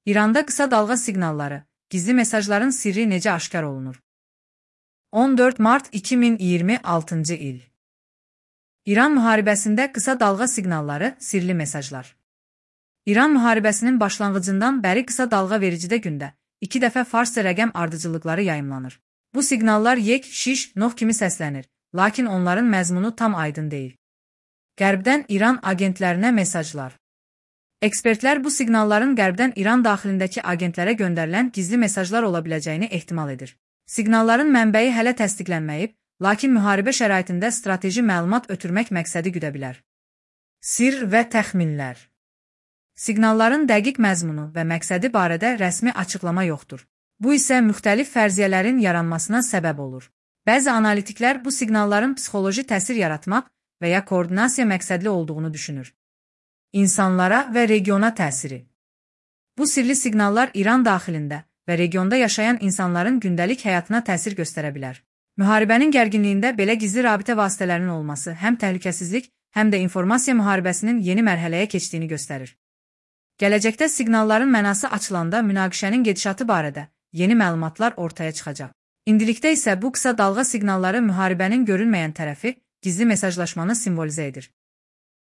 İranda qısa dalğa siqnalları, gizli mesajların sirri necə aşkar olunur? 14 mart 2026-cı il. İran müharibəsində qısa dalğa siqnalları, sirli mesajlar. İran müharibəsinin başlanğıcından bəri qısa dalğa vericidə gündə 2 dəfə farsça rəqəm ardıcıllıqları yayımlanır. Bu siqnallar yek, şiş, noh kimi səslənir, lakin onların məzmunu tam aydın deyil. Qərbdən İran agentlərinə mesajlar. Ekspertlər bu siqnalların Qərbdən İran daxilindəki agentlərə göndərilən gizli mesajlar ola biləcəyini ehtimal edir. Siqnalların mənbəyi hələ təsdiqlənməyib, lakin müharibə şəraitində strateji məlumat ötürmək məqsədi güdə bilər. Sirr və təxminlər. Siqnalların dəqiq məzmunu və məqsədi barədə rəsmi açıqlama yoxdur. Bu isə müxtəlif fərziyyələrin yaranmasına səbəb olur. Bəzi analitiklər bu siqnalların psixoloji təsir yaratmaq və ya koordinasiya məqsədli olduğunu düşünür. İnsanlara və regiona təsiri. Bu sirli siqnallar İran daxilində və regionda yaşayan insanların gündəlik həyatına təsir göstərə bilər. Müharibənin gərginliyində belə gizli rabitə vasitələrinin olması həm təhlükəsizlik, həm də informasiya müharibəsinin yeni mərhələyə keçdiyini göstərir. Gələcəkdə siqnalların mənası açılanda münaqişənin gedişatı barədə yeni məlumatlar ortaya çıxacaq. İndilikdə isə bu qısa dalğa siqnalları müharibənin görünməyən tərəfi, gizli mesajlaşmanı simvolizə edir.